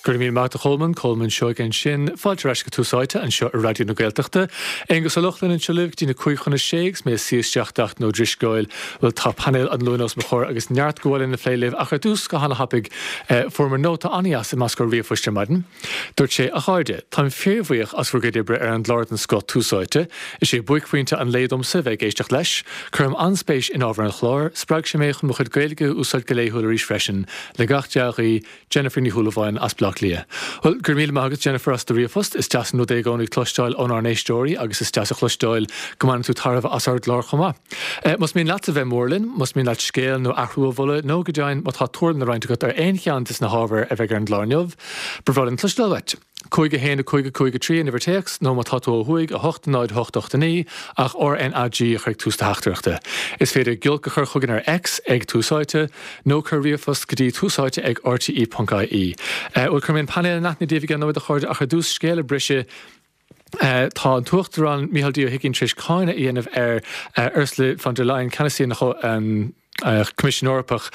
Go raibh míle maith agat a Cholmáin, Colmán Seoige ansin. Fáilte ar ais go Tús Áite anseo ar Raidió na Gaeltachta. Aonghus Ó Lochlainn anseo libh go dtí na 5:55 agus mé ag suí isteach d'Antain Ó Drisceoil. Bhuel tá painéal an Luain os mo chomhair agus neart go lena phlé libh ach ar dtús go hana-thapaidh fuaireamar nóta an-dheas i meascán ríomhphoist ar maidin. Dúirt sé, A chairde, táim fíorbhuíoch as bhur gcuid oibre ar an gclár den scoth Tús Áite. Is é buaicphointe an lae domsa bheith ag éisteacht leis. Cuirim an-spéis in ábhar an chláir. Spreag sé mé chun mo chuid Gaeilge a úsáid go laethúil arís freisin. Le gach dea-ghuí, Jennifer Ní Shúilleabháin as Baile Átha Cliath. Bhuel, go raibh míle maith agat, Jennifer, as do ríomhphost. Is deas an rud é i gcónaí cloisteáil ónár n-éisteoirí agus is deas a chloisteáil go mbaineann tú tairbhe as ár gclár chomh maith. Más mian leatsa bheith mór linn, más mian leat scéal nó athrú a mholadh nó go deimhin má tá tuairim le roinnt agat ar aon cheann des na hábhair a bheidh ar an gclár inniu, ba bhreá linn cloisteáil uait. 5 1 5 5 3 an uimhir téacs, nó má tá tú ó thuaidh, 8 0 8 8 9, ach RNAG a chur ag tús do theachtaireachta. Is féidir giolc a chur chugainn ar X ag Tús Áite, nó cuir ríomhphost go dtí túsáite ag rte.ie. Bhuel, cuirfidh mé an painéal in aithne daoibh i gceann nóiméad, a chairde, ach ar dtús, scéal a briseadh. Tá an tUachtarán Micheál D. Ó hUigínn tar éis cáineadh a dhéanamh ar Ursula von der Leyen, ceannasaí an Choimisiúin Eorpach,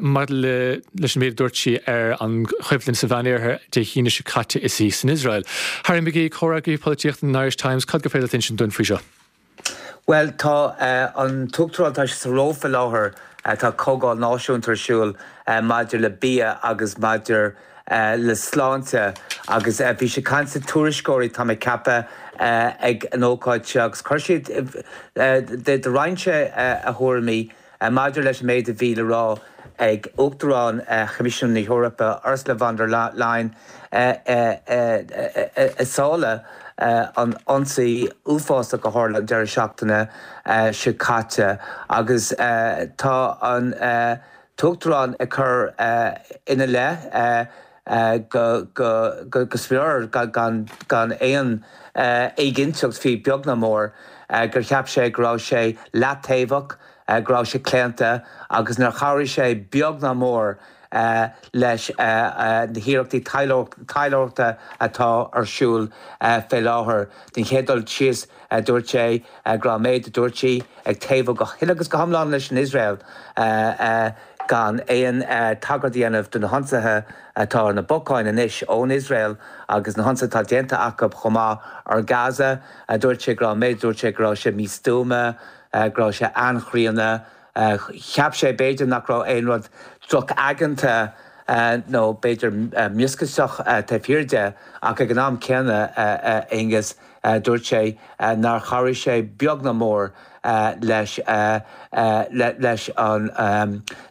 maidir leis an méid a dúirt sí ar an choimhlint sa Mheánoirthear Dé hAoine seo caite is í san Iosrael. Harry McGee, comhfhreagraí polaitíochta an Irish Times, cad gur féidir leat insint dúinn faoi seo? Bhuel, tá an tUachtarán, tá sé sa Róimh faoi láthair, tá comhdháil náisiúnta ar siúl maidir le bia agus maidir le sláinte agus bhí sé ag caint le tuairisceoirí, tá mé ag ceapadh, ag an ócáid seo agus chuir siad, do roinn sé a thuairimí. Maidir leis an méid a bhí le rá ag Uachtarán Choimisiún na hEorpa, Ursula von der Leyen, i sála an ionsaí uafásach a tharla an deireadh seachtaine seo caite agus tá an tUachtarán ag cur ina leith go smior gan aon éiginnteacht fiú beag ná mór gur cheap sé go raibh sé leataobhach, go raibh sé claonta agus nár chabhraigh sé beag ná mór leis na hiarrachtaí taidhleoireachta atá ar siúl fé láthair. Den chéad dul síos, dúirt sé go raibh an méid a dúirt sí ag taobhú go huile agus go hiomlán leis an Iosrael gan aon tagairt a dhéanamh do na hionsaithe atá ar na bacáin anois ón Iosrael agus na hionsaithe atá déanta acu chomh maith ar Gaza. Dúirt sé go raibh an méid a dúirt sé go raibh sé místuama. go raibh sé an-chríonna. Cheap sé, b'fhéidir, nach raibh aon rud drochaigeanta nó b'fhéidir mioscaiseach taobh thiar de, ach ag an am céanna, a Aonghuis, dúirt sé nár chabhraigh sé beag ná mór leis leis an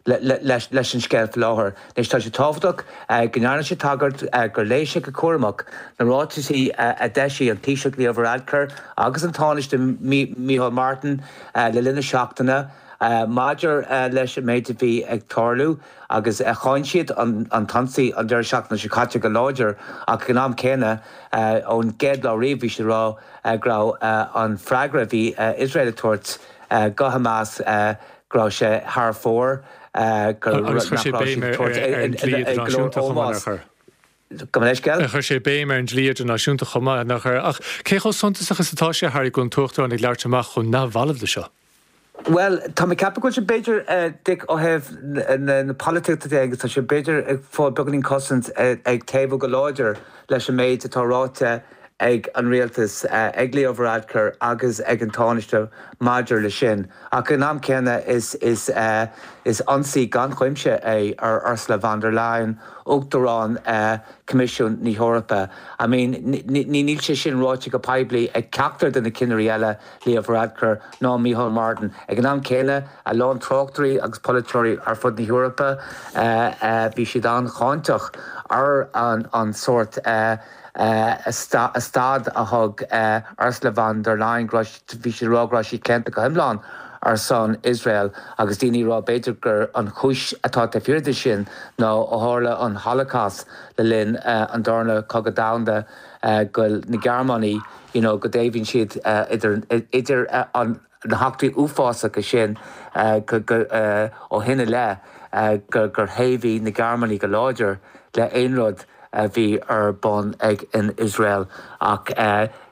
leis an scéal faoi láthair. Anois, tá sé tábhachtach go ndearna sé tagairt gur léigh sé go cúramach na ráitisí a d'eisigh an Taoiseach Leo Varadkar agus an Tánaiste Micheál Martin le linn na seachtaine maidir leis an méid a bhí ag tarlú agus cháin siad an t-ionsaí an deireadh seachtaine seo caite go láidir ach ag an am céanna ón gcéad lá riamh bhí siad ag rá go raibh an freagra a bhí Iosrael ag tabhairt go Hamas go raibh sé thar fóir, go Agus chuir sé béim ar an dlí idirnáisiúnta chomh maith, nár chuir? Gabh mo leithscéal? Chuir sé béim ar an dlí idirnáisiúnta chomh maith, nár chuir? Ach cé chomh suntasach is atá sé, Harry, go bhfuil an tUachtarán ag labhairt amach chomh neamhbhalbh le seo? Bhuel, tá mé ag ceapadh go bhfuil sé b'fhéidir, Dick, ó thaobh na polaitíochta de agus tá sé b'fhéidir ag fáil beagáinín cosaint ag taobhú go láidir leis an méid atá ráite ag an rialtas, ag Leo Varadkar agus ag an Tánaiste maidir leis sin. Ach ag an am céanna is is ionsaí gan chuimse é ar Ursula von der Leyen, Uachtarán Choimisiún na hEorpa. I mean, níl sé sin ráite go poiblí ag ceachtar de na cinnirí eile, Leo Varadkar ná Micheál Martin. Ag an am céanna, a lán tráchtairí agus polaiteoirí ar fud na hEorpa, bhí siad an-cháinteach ar an sórt stad a thug Ursula von der Leyen, go raibh, bhí siad ag rá go raibh sí claonta go hiomlán ar son Iosrael agus daoine ag rá b'fhéidir gur an chúis atá taobh thiar de sin ná ó tharla an Holocaust le linn an Darna Cogadh Domhanda go bhfuil na Gearmánaigh you know go dtaobhaíonn siad idir idir an na heachtraí uafásacha sin go go ó shin i leith gur gur thaobhaigh na Gearmánaigh go láidir le aon rud a bhí ar bun ag an Iosrael ach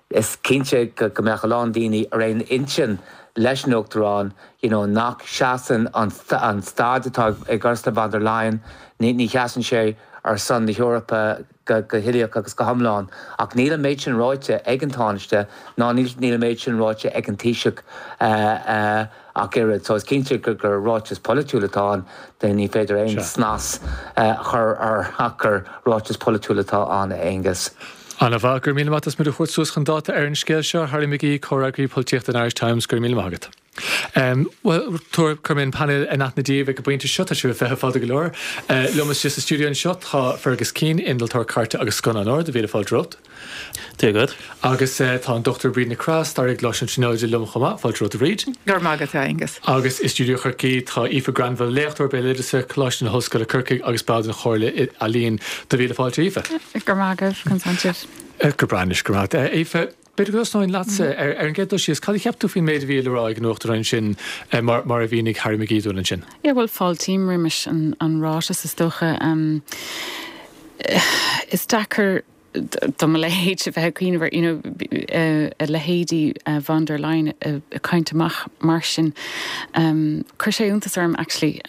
is cinnte go go mbeadh a lán daoine ar aon intinn leis an Uachtarán you know nach seasann an an staid atá ag Ursula von der Leyen ní ní sheasann sé. ar son na hEorpa go huilíoch agus go hiomlán. Ach níl an méid sin ráite ag an Tánaiste ná níl an méid sin ráite ag an Taoiseach ach oiread. So is cinnte gur ráiteas polaitiúil atá ann, ní féidir aon snas a chur air ach gur ráiteas polaitiúil atá ann, a Aonghus. Ana-mhaith, go raibh míle maith as muid a thabhairt suas chun dáta ar an scéal seo, Harry McGee, Comhfhreagraí Polaitíochta an Irish Times, go raibh míle maith agat. Bhuel, cuirfidh mé an painéal in aithne daoibh ag an bpointe seo, tá sibh ag feitheamh fada go leor. Liom istigh sa stiúideo anseo tá Fergus Keane, innealtóir cairte agus scannánóir, do mhíle fáilte romhat. Dia dhuit. Agus tá an Dr Bríd Nic Craith, staraí i gColáiste na Tríonóide liom chomh maith, fáilte romhat a Bhríd. Go raibh maith agat, a Aonghus. Agus i stiúideo Chorcaí tá Aoife Granville, léachtóir béaloideasa, Coláiste na hOllscoile Corcaigh agus ball den Chomhairle Ealaíon. Do mhíle fáilte, Aoife. Go raibh maith agaibh, conas tánn sibh? Go breá anois, go raibh maith agat. Aoife, b'fhéidir go dtosnóinn leatsa. Ar an gcéad dul síos, cad a cheap tú faoin méid a bhí le rá ag an Uachtarán ansin, mar a mhínigh Harry McGee dúinn ansin? Yeah, bhuel, fáiltím roimis an ráiteas, is dócha. Is deacair do mo leithéid a bheith ag cuimhneamh ar, you know, a leithéidí von der Leyen ag caint amach mar sin. Chuir sé iontas orm, actually.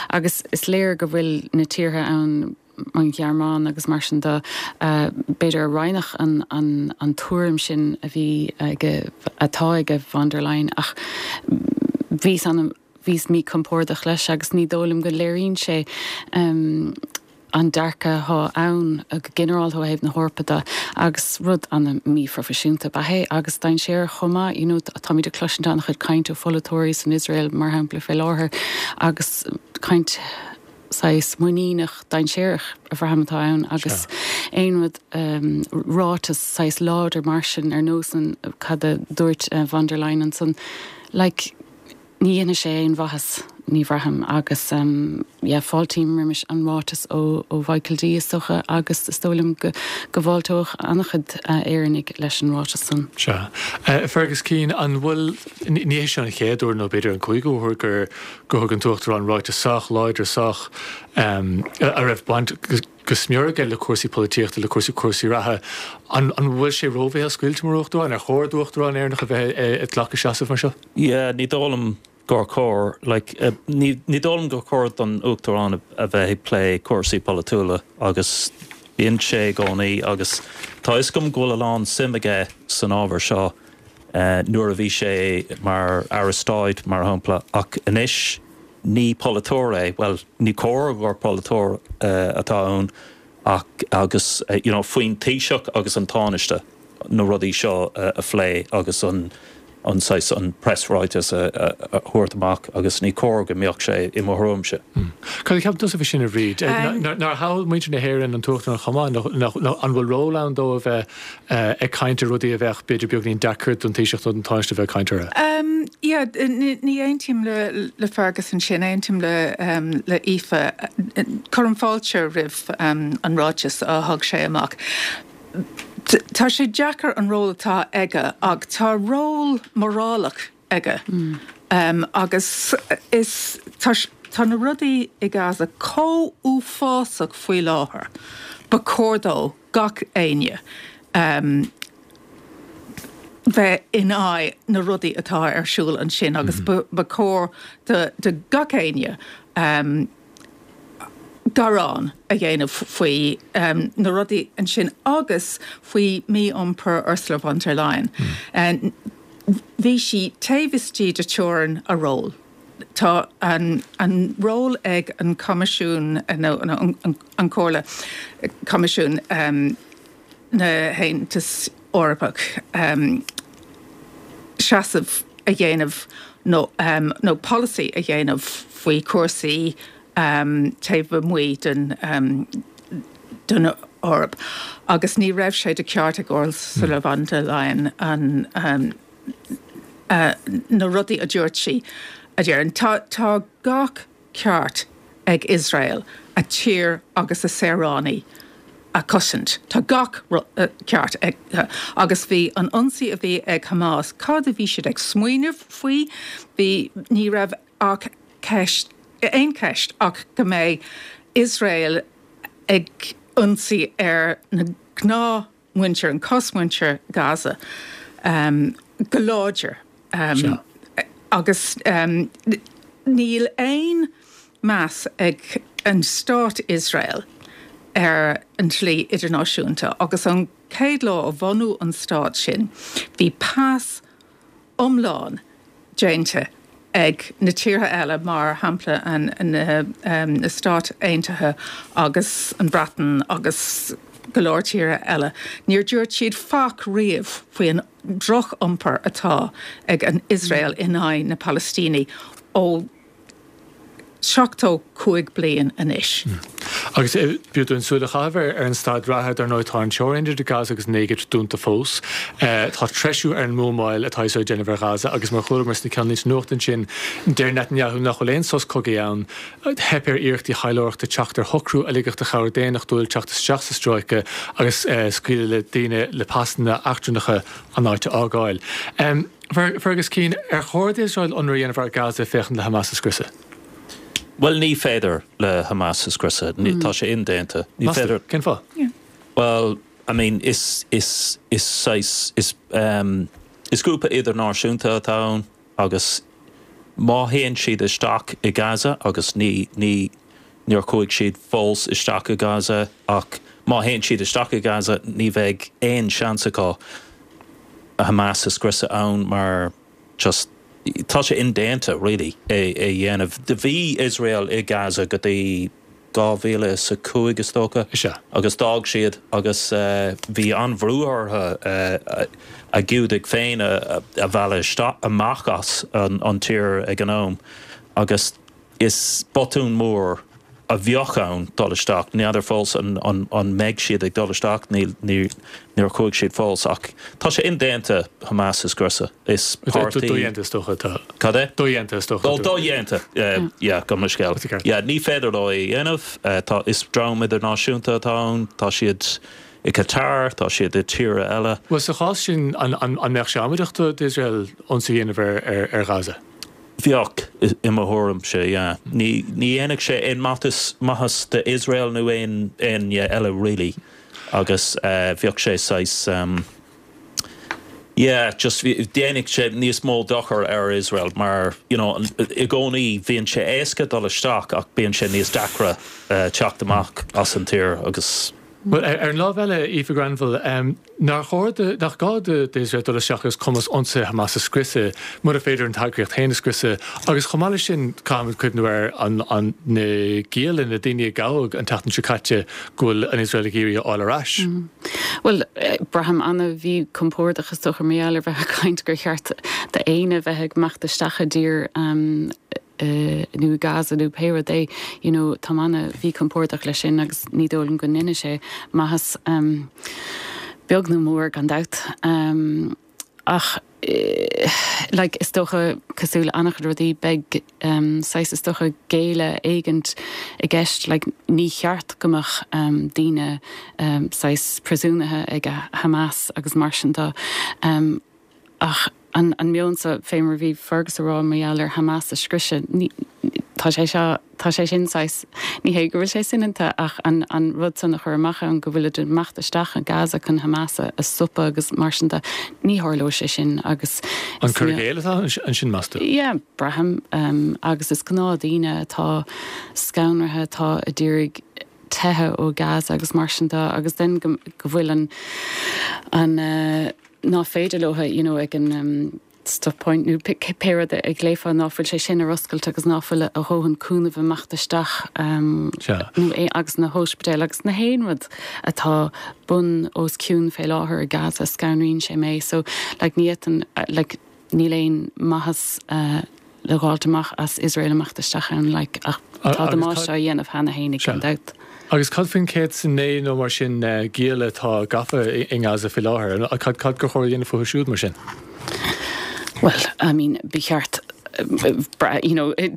Agus is léir go bhfuil na tíortha ann, an Ghearmáin agus mar sin de, b'fhéidir a roinnfeadh an an tuairim sin a bhí aige, atá aige von der Leyen ach bhíos an, bhíos míchompordach leis agus ní dóigh liom go léiríonn sé an dearcadh atá ann go ginearálta ó thaobh na hEorpa de agus rud an-mhíphroifisiúnta ab ea é agus dainséarach chomh maith. You know, táimid ag cloisint an-chuid caint ó pholaiteoirí san Iosrael mar shampla fé láthair agus caint saghas muiníneach dainséarach a bhraithim atá ann agus aon rud, ráiteas saghas láidir mar sin ar nós an cad a dúirt von der Leyen ansan, like, ní dhéanfaidh sé aon mhaitheas, ní bhraithim agus yeah, fáiltím roimis an ráiteas ó ó Mhichael D is dócha agus is dóigh liom go go bhfáilteodh an-chuid Éireannaigh leis an ráiteas san. Sea. Fergus Keane, an bhfuil, ní hé seo an chéad uair nó b'fhéidir an cúigiú huair gur gur thug an tUachtarán ráiteas sách láidir, sách, a raibh baint go smior aige le cúrsaí polaitíochta, le cúrsaí cúrsaí reatha. An bhfuil sé ró-bhéalscaoilte mar Uachtarán? Ar chóir d'Uachtarán Éireannach a bheith ag glacadh seasamh mar seo? Yeah, ní dóigh liom gur chóir. Like, ní dóigh liom gur chóir don Uachtarán a bheith ag plé cúrsaí polaitiúla agus bíonn sé i gcónaí agus tá 'fhios agam go bhfuil a lán suim aige san ábhar seo nuair a bhí sé mar Aire Stáit, mar shampla, ach anois ní polaiteoir é, bhuel, ní cóir gur polaiteoir atá ann ach agus you know faoin Taoiseach agus an Tánaiste na rudaí seo a phlé agus an an saghas an preasráiteas a thabhairt amach agus ní cóir go mbeadh sé i mo thuairimse. Cad a cheapann tusa faoi sin a Bhríd? Nár thogh muintir na hÉireann an tUachtarán chomh maith? Nó an bhfuil ról ann dó a bheith ag caint ar rudaí a bheadh b'fhéidir beagainín deacair don Taoiseach nó don Tánaiste a bheith ag caint orthu? Yeah, ní aontaím le Fergus ansin, aontaím le le Aoife. Cuirim fáilte roimh an ráiteas a thug sé amach. Tá sé deacair an ról atá aige ach tá ról morálach aige agus is tá tá na rudaí i Gaza chomh uafásach faoi láthair, ba chóir dó gach éinne bheith in aghaidh na rudaí atá ar siúl ansin agus ba chóir do gach éinne gearán a dhéanamh faoi na rudaí ansin agus faoi mhí-iompar Ursula von der Leyen. Bhí sí taobh istigh de teorainn a ról. Tá an ról ag an Coimisiún nó an Chomhairle, Coimisiún na hAontas Eorpach, seasamh a dhéanamh nó nó polasaí a dhéanamh faoi chúrsaí taobh amuigh den den Eoraip agus ní raibh sé de cheart ag Ursula von der Leyen an na rudaí a dúirt sí a dhéanamh. Tá tá gach ceart ag Iosrael a tír agus a saoránaigh a chosaint. Tá gach ceart ag agus bhí an ionsaí a bhí ag Hamas, cad a bhí siad ag smaoineamh faoi? Bhí ní raibh ach ceist aon cheist ach go mbeidh Iosrael ag ionsaí ar na gnáth muintir, an cosmhuintir Gaza go láidir agus níl aon meas ag an stát Iosrael. ar an dlí idirnáisiúnta agus an chéad lá a bhunú an stát sin bhí pas iomlán déanta ag na tíortha eile, mar shampla na Stáit Aontaithe agus an Bhreatain agus go leor tíortha eile. Níor dúirt siad faic riamh faoi an droch-iompar atá ag an Iosrael in aghaidh na Palaistínigh ó 75 bliain anois. Agus b'fhiú dúinn súil a chaitheamh ar an staid reatha, dar ndóigh tá an teorainn idir Gaza agus an Éigipt dúnta fós. Tá treisiú ar an mbuamáil atá Iosrael ag déanamh ar Ghaza agus mar chualamar sna ceannlínte nuachta ansin, deir Netanyahu nach bhfuil aon sos cogaidh ann. Theip ar iarrachtaí taidhleoireachta teacht ar shocrú a ligfeadh do chabhair daonnachtúil teacht isteach sa stráice agus scaoileadh le daoine le pasanna eachtrannacha an áit a fhágáil. Fergus Keane, Ar chóir d'Iosrael ionradh a dhéanamh ar Gaza féachaint le Hamas a scriosadh? Bhuel, ní féidir le Hamas a scriosadh. Tá sé indéanta. Ní féidir. Cén fáth? Bhuel, I mean, is, is, is saghas, is, ehm, is grúpa idirnáisiúnta atá ann agus má théann siad isteach i Gaza, agus ní, ní, níor chuaigh siad fós isteach i Gaza, ach má théann siad isteach i Gaza ní bheidh aon seans acu Hamas a scriosadh ann mar just tá sé indéanta really é a dhéanamh. Bhí Iosrael i Gaza go dtí 2005 is dócha agus d'fhág siad agus bhí an-bhrú orthu a Giúdaigh féin a mhealladh isteach amach as an tír ag an am agus Is botún mór a bheadh ann dul isteach. N'fheadar fós an mbeidh siad ag dul isteach, níor chuaigh siad fós, ach tá sé indéanta Hamas a scriosadh. Is páirtí. Dodhéanta is dócha atá. Cad é? Dodhéanta is dócha. Ó, dodhéanta, yeah, gabh mo leithscéal. Yeah, ní féidir leo é a dhéanamh. Tá, is dream idirnáisiúnta atá ann, tá siad i Qatar, tá siad i tíortha eile. Bhuel, sa chás sin, an mbeadh sé amaideach d'Iosrael ionsaí a dhéanamh ar Ghaza? Bheadh, i mo thuairimse, yeah. Ní dhéanfadh sé aon maitheas, maitheas d'Iosrael nó aon éinne eile really agus bheadh sé saghas, yeah, just dhéanfadh sé níos mó dochar ar Iosrael mar, you know, i gcónaí bíonn sé éasca dul isteach ach bíonn sé níos deacra teacht amach as an tír agus. Bhuel, ar an lámh eile, Aoife Grenville, nár chóir do, nach gá d'Iosrael dul isteach agus cumas ionsaithe Hamas a scriosadh, mura féidir an t-eagraíocht féin a scriosadh? Agus chomh maith leis sin, caithfimid cuimhniú ar an, an, na gialla, na daoine a gabhadh an tseachtain seo caite, go bhfuil an Iosrael ag iarraidh a fháil ar ais. Bhuel, braithim an-mhíchompordach is dócha mar gheall ar bheith ag caint gur cheart d'éinne bheith ag imeacht isteach i dtír nó i Gaza nó pé rud é, you know, táim an-mhíchompordach leis sin agus ní dóigh liom go ndéanfaidh sé maitheas, beag nó mór gan dabht. Ach like is dócha, cosúil le an-chuid rudaí, beidh saghas is dócha géilleadh éigint i gceist, like ní cheart go mbeadh daoine saghas príosúnaithe ag Hamas agus mar sin de. Ach an meon seo, fé mar a bhí Fergus a rá mar gheall ar Hamas a scriosadh, ní, tá sé seo, tá sé sin saghas, ní hé go bhfuil sé soineanta ach an, an rud san a chur amach ann go bhfuilid ag imeacht isteach i Gaza chun Hamas a, a stopadh agus mar sin de, ní tharlóidh sé sin agus An cur i gcéill atá ansin, meas tú? Yeah, braithim. Agus is gnáthdhaoine atá scanraithe, atá a d'iarraidh teitheadh ó Gaza agus mar sin de agus then go, go bhfuil an, an, ná féidir leo, you know, ag an stop point nó pé rud a ghlaofá, ná fuil sé sin ar oscailt agus ná fuil a dhóthain cúnamh ag imeacht isteach nó é agus na hóispidéil agus na haon rud atá bun os cionn fé láthair i Gaza, scanraíonn sé mé. So, like, ní fhéadfainn, like, níl aon maitheas le dh'fháilt amach as Iosrael imeacht isteach ann, like, ach tá damáiste á dhéanamh cheana fhéinig, gan dabht. Agus cad faoin 109 nó mar sin gialla atá gafa i nGaza faoi láthair? Cad cad gur chóir a dhéanamh fúthu siúd mar sin? Well, I mean, ba cheart you know, in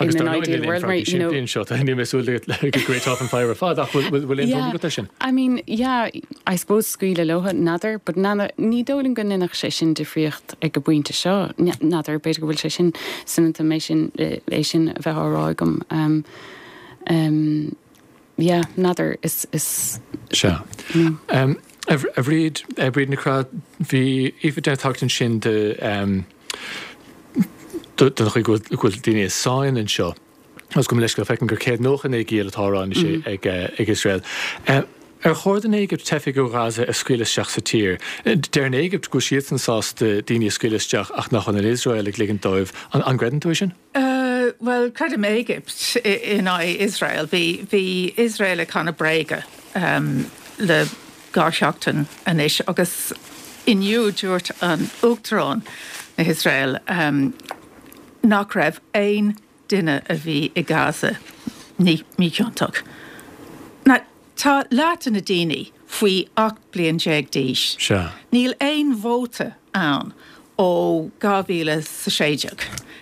an ideal world, mar, you know. Anseo, tá mé ag súil le go great off an fire ar fad, ach bhfuil aon tuairim agat air sin? I mean, yeah, I suppose scaoileadh leo, n'fheadar, but ní dóigh liom go ndéanfadh sé sin difríocht ag an bpointe seo, n'fheadar, b'fhéidir go bhfuil sé sin soineanta mé sin, é sin a bheith á rá agam. Yeah, n'fheadar, is, is. Sea. A Bhríd, a Bhríd Nic Craith, bhí Aoife ag déanamh tagairt ansin de, don chaoi go bhfuil daoine i sáinn anseo. Agus gabh mo leithscéal, feicim gur 199 giall atá á rá anois ag Iosrael. Ar chóir don Éigipt teifigh ó Ghaza a scaoileadh isteach sa tír? Deir an Éigipt go bhfuil siadsan sásta daoine a scaoileadh isteach ach nach bhfuil an Iosrael ag ligint dóibh. An gcreideann tú é sin? Bhuel, creidim Éigipt in aghaidh Iosrael. Bhí, bhí Iosrael ag canadh bréaga le 2 sheachtain anois agus inniu dúirt an Uachtarán na hIosrael nach raibh aon duine a bhí i Gaza míchiontach. Now, tá leath de na daoine faoi 18 bliain d'aois. Sea. Níl aon vóta ann ó 2016.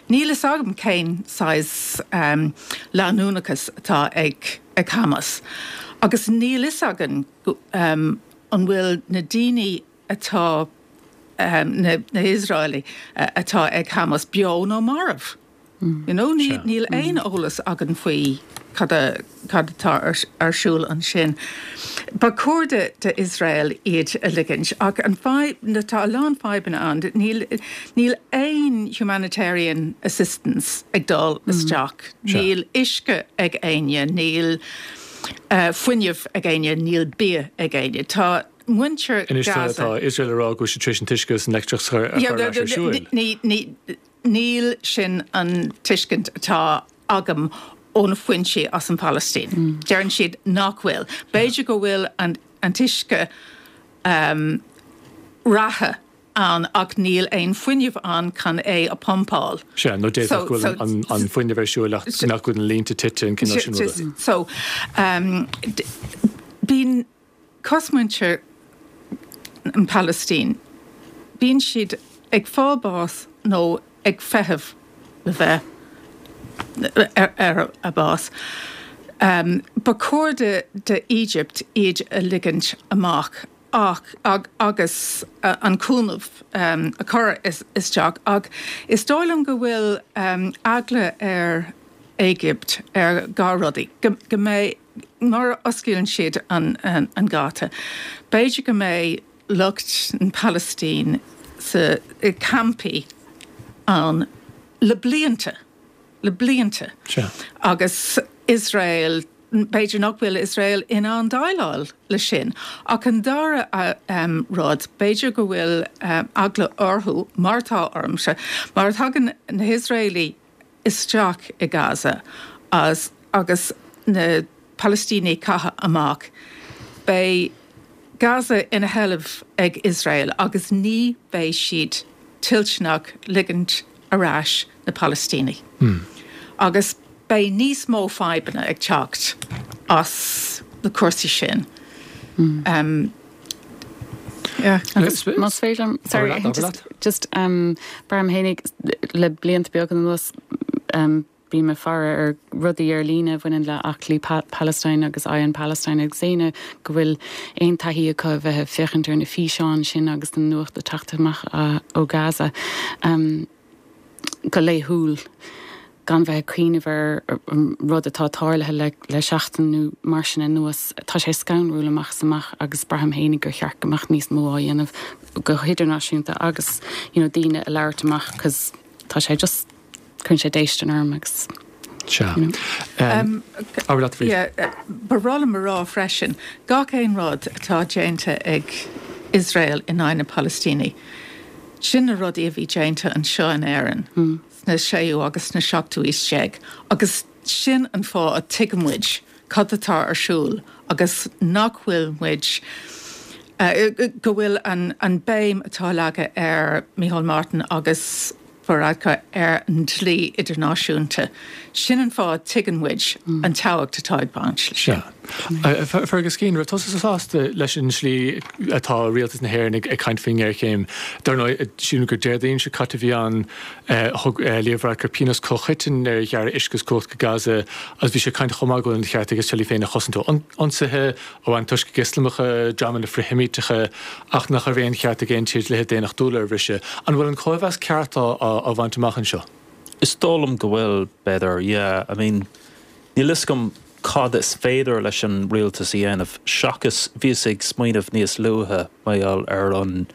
Níl fhios agam cén saghas leanúnachas atá ag Hamas. Agus níl fhios againn an bhfuil na daoine atá, na hIosraelaigh atá ag Hamas beo nó marbh. You know, níl aon eolas againn faoi cad atá ar siúl ansin. Ba chóir d'Iosrael iad a ligint ach an fadhb, tá a lán fadhbanna ann, níl, níl aon humanitarian assistance ag dul isteach, níl uisce ag éinne, níl fuinneamh ag éinne, níl bia ag éinne. Tá muintir Anois tá Iosrael ag rá go bhfuil siad tar éis an t-uisce agus an leictreachas a chur ar ais ar siúl. Níl sin an tuiscint atá agam ó na foinsí as an Phalaistín. Deireann siad nach bhfuil. B'fhéidir go bhfuil an t-uisce reatha ann ach níl aon fuinneamh ann chun é a phumpáil. Sea, nó d'fhéadfadh go bhfuil an fuinneamh ar siúl ach nach bhfuil na línte tite, an cineál sin ruda. So, bíonn. Cosmuintir an Phalaistín, bíonn siad ag fáil bás nó ag feitheamh le bheith ar a bás. Ba chóir do Egypt iad a ligint amach ach agus an cúnamh a chur isteach ach is dóigh liom go bhfuil eagla ar Éigipt ar dhá rudaí, go mbeidh Nuair a osclaíonn siad an geata, b'fhéidir go mbeidh lucht an Phalaistín sa campaí ann le blianta, le blianta. Agus Iosrael, b'fhéidir nach bhfuil Iosrael in ann déileáil le sin. Ach an dara rud, b'fhéidir go bhfuil eagla orthu, mar atá ormsa, má thagann na hIosraelaigh isteach i Gaza agus na Palaistínigh caithe amach, beidh Gaza ina sheilbh ag Iosrael agus ní bheidh siad toilteanach ligint ar ais na Palaistínigh. Agus beidh níos mó fadhbanna ag teacht as na cúrsaí sin. Agus más féidir liom, sorry, just, just um, braithim fhéinig le blianta beaga anuas um, bím ag faire ar rudaí ar líne a bhaineann le aclaí Palestine agus Eye on Palestine agus éinne go bhfuil aon taithí acu a bheith ag féachaint ar na físeáin sin agus na nuacht ag teacht amach ó Gaza. Um, go laethúil gan bheith ag cuimhneamh ar an rud atá tarlaithe le seachtain nó mar sin anuas. Tá sé scanrúil amach is amach agus braithim fhéinig gur cheart go mbeadh níos mó á dhéanamh go hidirnáisiúnta agus you know daoine a labhairt amach cos tá sé just cuireann sé déistin orm agus Sea. you know. Abair leat, Bríd. Yeah, ba bhreá liom a rá freisin, gach aon rud atá déanta ag Iosrael in aghaidh na Palaistínigh, Sin na rudaí a bhí déanta anseo in Éirinn sna séú agus sna seachtú aois déag agus sin an fáth a tuigeann muid cad atá ar siúl agus nach bhfuil muid, go bhfuil an béim atá leagtha ar Micheál Martin agus Varadkar ar an dlí idirnáisiúnta. Sin an fáth a tuigeann muid an tábhacht atá ag baint leis sin. Sea. Fergus Keane, raibh tusa sásta leis an slí atá rialtas na hÉireann ag caint faoin ngéarchéim? Dar ndóigh, sílim gur Déardaoin seo caite a bhí ann, thug Leo Varadkar pionós comhchoiteann ar ghearradh uisce is cumhacht go Gaza agus bhí sé ag caint chomh maith go bhfuil an cheart ag Iosrael í féin a chosaint ó ionsaithe, ó antoiscigh Ioslamacha, dreamanna frith-Sheimíteacha, ach nach raibh aon cheart ag aon tír dlíthe daonnachtúla a bhriseadh. An bhfuil an cóimheas ceart á bhaint amach anseo? Is dóigh liom go bhfuil, b'fhéidir, yeah. I mean, níl fhios agam cad is féidir leis an rialtas a dhéanamh seachas, bhíos ag smaoineamh níos luaithe mar gheall ar an.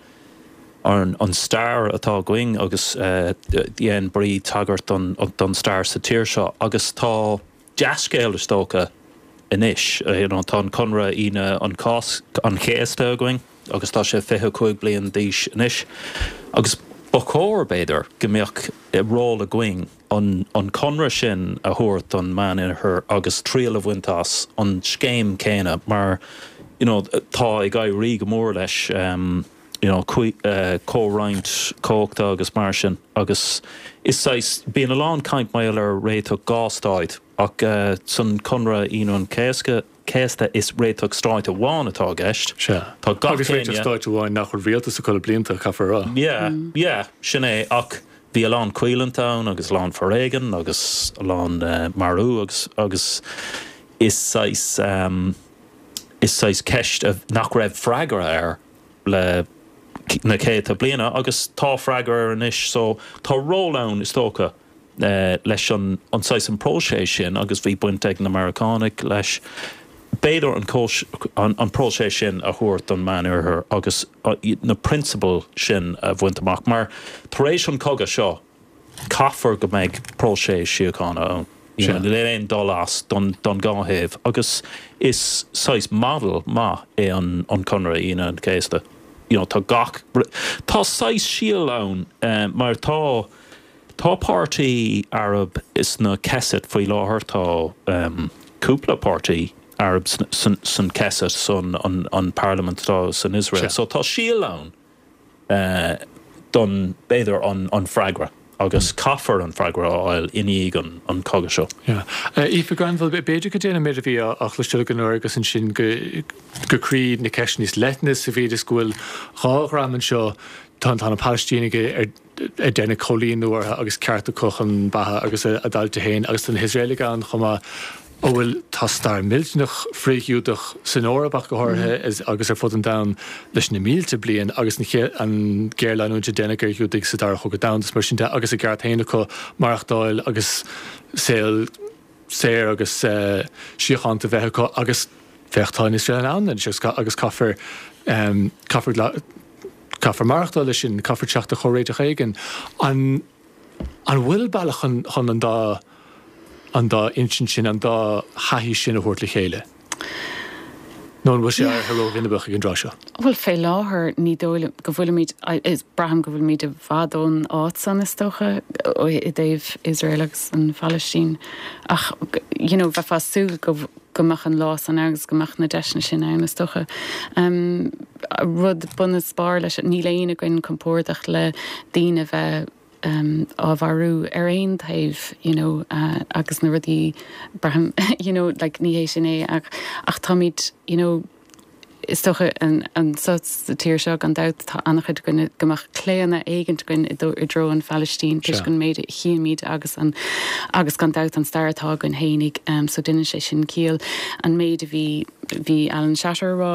An stair atá againn agus dhein Bríd tagairt don stair sa tír seo agus tá dea-scéal is dócha anois. You know tá an Conradh Aoine an an Chéasta againn agus tá sé 25 bliain d'aois anois agus ba chóir b'fhéidir go mbeadh ról againn an an conradh sin a thabhairt don Meánoirthear agus triail a bhaint as an scéim céanna mar you know tá ag éirí go mór leis you know comhroinnt cumhachta agus mar sin agus is saghas, bíonn a lán caint mar gheall ar réiteach dhá stáit ach san Conradh Aoine an Chéasta is réiteach stáit amháin atá i gceist. Sea. Tá gach Agus réiteach stáit amháin nach bhfuil rialtas acu le blianta, caithfear a rá. Yeah, yeah, sin é ach bhí a lán coimhlint ann agus a lán foréigean agus a lán marú agus agus is saghas is saghas ceist nach raibh freagra air le na céadta bliana agus tá freagra air anois so tá ról ann is dócha leis an an saghas an próiseas sin agus bhí baint ag na Meiriceánaigh leis b'fhéidir an an próiseas sin a thabhairt don Meánoirthear agus na prionsabail sin a bhaint amach mar tar éis an cogadh seo Caithfear go mbeidh próiseas síochána ann. Níl aon dul as don dhá thaobh agus is saghas model maith é an Conradh Aoine an Chéasta. You know tá gach, tá saghas síol ann mar tá, tá páirtí Arab sna Knesset faoi láthair, tá cúpla páirtí Arab san Knesset, san an parlaimint atá san Iosrael. So tá síol ann. don, b'fhéidir, an freagra agus caithfear an freagra a fháil i ndiaidh an cogadh seo. Yeah. Aoife Granville, b'fhéidir go dtéann an méid a bhí á chloisteáil againn ó Aonghus ansin go go croí na ceiste níos leithne sa mhéid is go bhfuil dhá dhream anseo, tá tá na Palaistínigh ar ar deineadh coilíniú orthu agus ceart acu chun beatha agus a dtailte féin agus tá na hIosraelaigh ann chomh maith a bhfuil, tá stair millteanach frith-Ghiúdach san Eoraip ach go háirithe agus ar fud an domhain leis na mílte bliain agus an ghéarleanúint a deineadh ar Ghiúdaigh sa Dara Chogadh Domhanda is mar sin de agus a gceart féin acu maireachtáil agus saol saor agus síochánta a bheith acu agus féach tá an Iosrael ann anois agus caithfear caithfear caithfear maireachtáil leis sin, caithfear teacht ar chomhréiteach éigin. An. An bhfuil bealach chun an dá an dá insint sin, an dá thaithí sin a thabhairt le chéile? Nó an bhfuil sé éirithe ró-bhinibeach ag an dtráth seo? Bhuel, fé láthair ní dóigh liom go bhfuilimid, is braithim go bhfuilimid i bhfad ón áit san is dócha i dtaobh Iosrael agus an Phalaistín ach you know bheifeá ag súil go go mbeadh an lá san ann agus go mbeadh na deiseanna sin ann is dócha. Rud bun is barr leis, níl éinne againn compordach le daoine a bheith á mharú ar aon taobh you know agus na rudaí braithim you know like ní hé sin é ach ach táimid you know Is dócha anso sa tír seo, gan dabht, tá an-chuid againn go mbeadh claonadh éigint againn i dtreo an Phalaistín toisc an méid a chímid agus an agus gan dabht an stair atá againn fhéinig. So deineann sé sin ciall. An méid a bhí bhí Alan Shatter a rá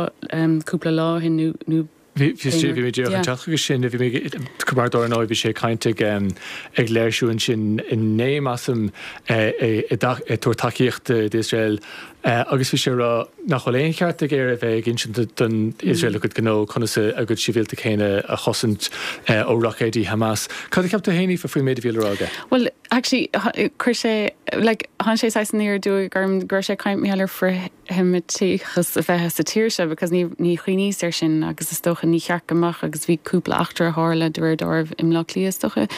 cúpla lá ó shin nó nó Bhí bhí mé díreach ag teacht chuige sin, bhí mé mar dar ndóigh bhí sé ag caint ag ag léirsiú ansin inné measaim ag tabhairt tacaíochta d'Iosrael Agus bhí sé ag rá nach bhfuil aon cheart ag Éire bheith ag insint don Iosrael a gcuid gnó, conas a gcuid sibhialtaigh féin a chosaint ó roicéidí Hamas. Cad a cheap tú féin, Aoife, faoin méid a bhí le rá aige? Bhuel, actually, chuir sé, like, tháinig sé saghas aniar aduaidh orm go raibh sé ag caint mar gheall ar frith-Sheimíteachas a bheith sa tír seo because ní, ní chuimhníos air sin agus is dócha ní cheart go mbeadh agus bhí cúpla eachtra a tharla de réir dealraimh i mBleá Cliath is dócha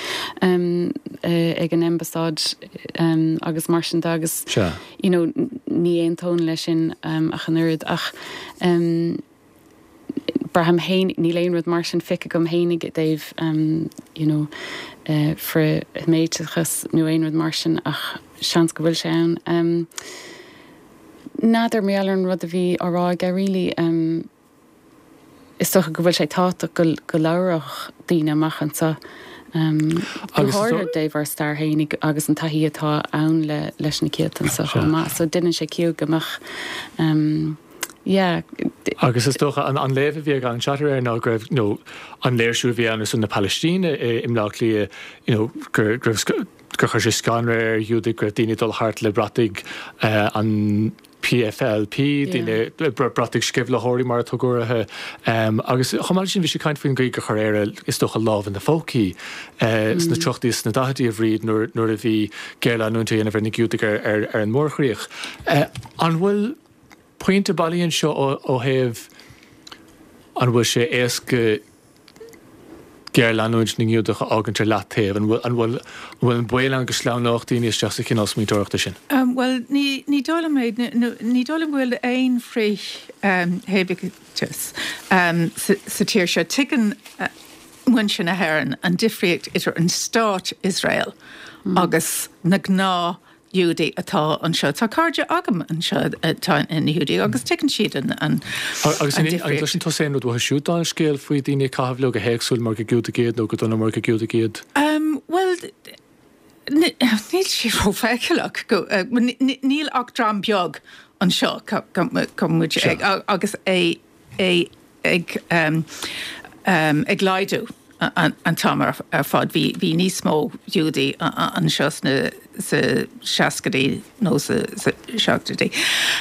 ag an ambasáid agus mar sin de agus Sea. you know ní aontóinn leis sin ach an oiread ach braithim féin, níl aon rud mar sin feicthe agam fhéinig i dtaobh you know frith-Sheimíteachas nó aon rud mar sin ach seans go bhfuil sé ann. N'fheadar mar gheall ar an rud a bhí á rá aige really. Is dócha go bhfuil sé tábhachtach go go labhródh daoine amach anseo, go háirithe i dtaobh ár stair fhéinig agus an taithí atá ann le leis na céadta anseo chomh maith. So deineann sé ciall go mbeadh yeah. Agus is dócha an an léamh a bhí ag Alan Shatter air ná go raibh you know an léirsiú a bhí ann ar son na Palaistíne i i mBleá Cliath you know gur gur gur chuir sé scanradh ar Ghiúdaigh go raibh daoine ag dul thart le brataigh an. PFLP, daoine, brataigh sceimhlitheoirí mar a tugadh orthu. Agus chomh maith leis sin bhí sé ag caint faoin gcaoi gur chuir Éire, is dócha, lámh ina phócaí sna tríochaidí is sna daichidí, a Bhríd, nuair a bhí géarleanúint á dhéanamh ar na Giúdaigh ar an mórchríoch. An bhfuil pointe bailí anseo ó thaobh an bhfuil sé éasca géarleanúint na nGiúdach a fhágaint ar leataobh? An bhfuil, an bhfuil, an bhfuil an baol ann go sleamhnódh daoine isteach sa chineál smaointeoireachta sin? Bhuel, ní, ní dóigh liom é, ní dóigh liom go bhfuil aon frith-Sheimíteachas sa tír seo. Tuigeann muintir na hÉireann an difríocht idir an stát Iosrael agus na gnáth Ghiúdaigh atá anseo. Tá cairde agam anseo atá ina Ghiúdaigh agus tuigeann siad an Agus an difríocht. gcloiseann tusa aon rud uathu siúd dála an scéil faoi daoine ag caitheamh leo go héagsúil mar gur Giúdaigh iad nó go dona mar gur Giúdaigh iad? Bhuel, níl sé rófheiceálach. Níl ach dream beag anseo go muid agus é é ag ag laghdú an t-am ar fad. Bhí bhí níos mó Giúdaigh anseo sna sa seascaidí nó sa seachtóidí.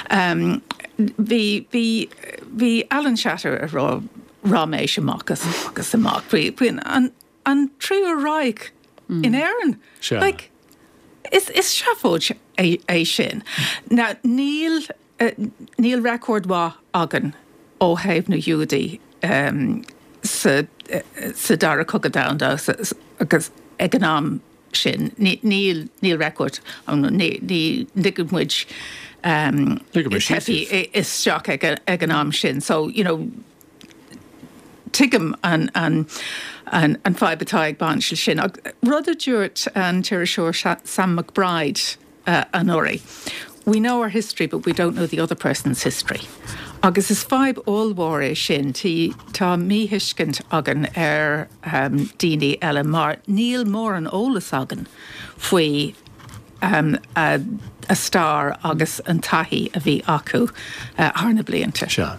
Bhí bhí bhí Alan Shatter ag rá raiméis amach agus amach faoi faoi an an Tríú Reich in Éirinn. Like is is seafóid é é sin. Now níl Níl record mhaith againn ó thaobh na Giúdaí sa Dara Cogadh Domhanda agus ag an am sin níl níl record ann, ní ligeann muid teifigh isteach ag an am sin so you know tuigim an an an fadhb atá ag baint leis sin. Rud a dúirt an t-iriseoir Sam McBride anuraidh. We know our history but we don't know the other person's history. Agus is fadhb ollmhór é sin, tá míthuiscint againn ar daoine eile mar níl mórán eolas againn faoi a stair agus an taithí a bhí acu thar na blianta. Sea.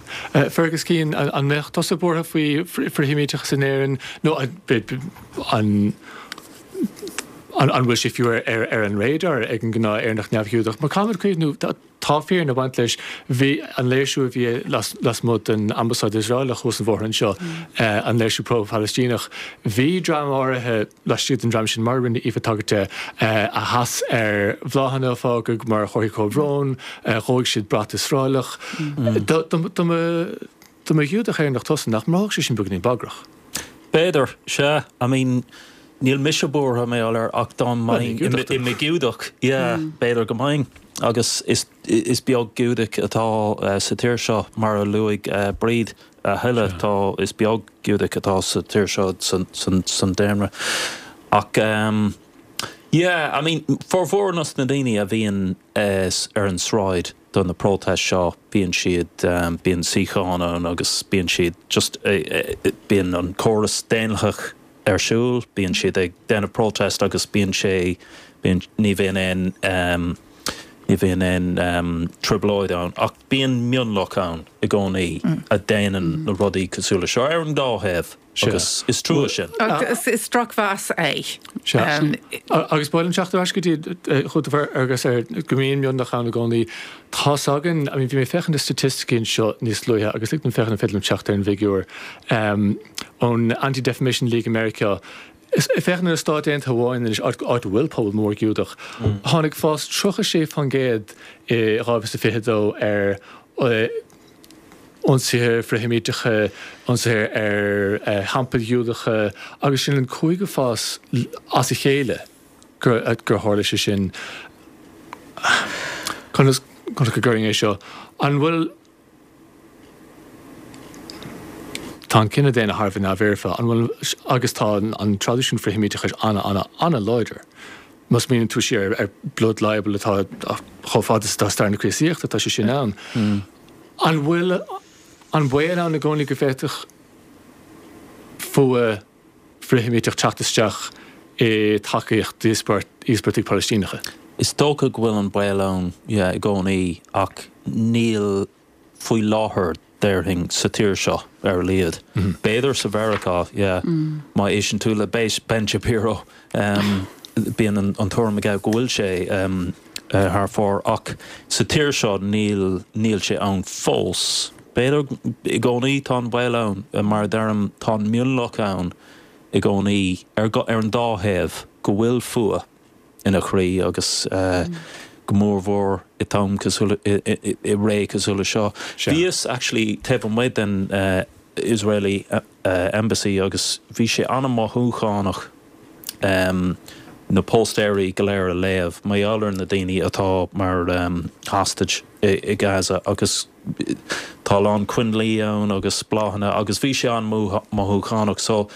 Fergus Keane, an mbeadh tusa buartha faoi frith-Sheimíteachas in Éirinn nó an An bhfuil sé fiú ar an radar ag an ngnáth Éireannach neamh-Ghiúdach? Mar caithfimid cuimhniú, tá fírinne ag baint leis, bhí an léirsiú a bhí lasmuigh den Ambasáid Iosraelach thuas an bhóthar anseo, an léirsiú pro-Phalaistíneach, bhí dream áirithe laistigh den dream sin, mar a rinne Aoife tagairt de, a sheas ar bhláthanna a fágadh mar chomharthaí comhbhróin, dhóigh siad brat Iosraelach. Dá mba Ghiúdach Éireannach tusa, nach mbráithfeadh sé sin beagáinín bagrach? B'fhéidir, sea. I mean, níl mise buartha mar gheall air ach dá mbeinn i mo Ghiúdach, yeah, b'fhéidir go mbeinn. Agus is is beag Giúdach atá sa tír seo, mar a luaigh Bríd a thuilleadh, tá, is beag Giúdach atá sa tír seo san daonra. Ach yeah, I mean, formhór nos na daoine a bhíonn ar an sráid, do na protest seo, bíonn siad, bíonn suíocháin ann agus bíonn siad just, bíonn an córas daonlathach ar siúl, bíonn siad ag déanamh protest agus bíonn sé, bíonn, ní bhíonn aon, ní bhíonn aon trioblóid ann ach bíonn mionlach ann i gcónaí a déanann na rudaí cosúil le seo ar an dá thaobh. Agus is trua sin. Agus is drochmheas é. Sea. Agus ba mhaith liom teacht ar ais go dtí chugat a Fhearghais ar go mbíonn mionlach ann i gcónaí. Tá's againn, I mean bhí mé ag féachaint ar staitisticí anseo níos luaithe agus lig dom féachaint an féidir liom teacht ar an bhfigiúr ón Anti-Defamation League i Meiriceá. Ag féachaint ar na Stáit Aontaithe amháin anois, áit a bhfuil pobal mór Giúdach, tháinig fás 36% i 2022 ar ionsaithe frith-Sheimíteacha, ionsaithe ar theampaill Ghiúdacha agus sin an cúigiú fás as a chéile gur tharla sé sin. Conas go gcuirfinn é seo? An bhfuil. Tá an cine daonna thar a bheith neamhfhoirfe, an bhfuil, agus tá an traidisiún frith-Sheimíteachais an-an-an-láidir. Má smaoiníonn tú siar ar blood libel atá chomh fada is atá stair na Críostaíochta, tá sé sin ann. An bhfuil an baol ann i gcónaí go bhféadfadh fuath frith-Sheimíteach teacht isteach i dtacaíocht d'íospartaigh Palaistíneacha? Is dócha go bhfuil an baol ann, yeah, i gcónaí, ach níl faoi láthair, déarfainn, sa tír seo, ar a laghad. B'fhéidir sa Mheiriceá, yeah. Má éisteann tú le Ben Shapiro, bíonn an tuairim aige go bhfuil sé. Thar fóir ach sa tír seo níl, níl sé ann fós. B'fhéidir i gcónaí tá an baol ann, mar a deirim, tá an mionlach ann i gcónaí ar, ar an dá thaobh go bhfuil fuath ina chroí agus go mór mhór i t-am cosúil, i ré cosúil le seo. Bhíos actually taobh amuigh den Israeli Embassy agus bhí sé an-mhothúchánach na póstaeirí go léir a léamh mar gheall ar na daoine atá mar hostage i Gaza agus tá a lán coinnlí ann agus bláthanna agus bhí sé an-mhothúchánach so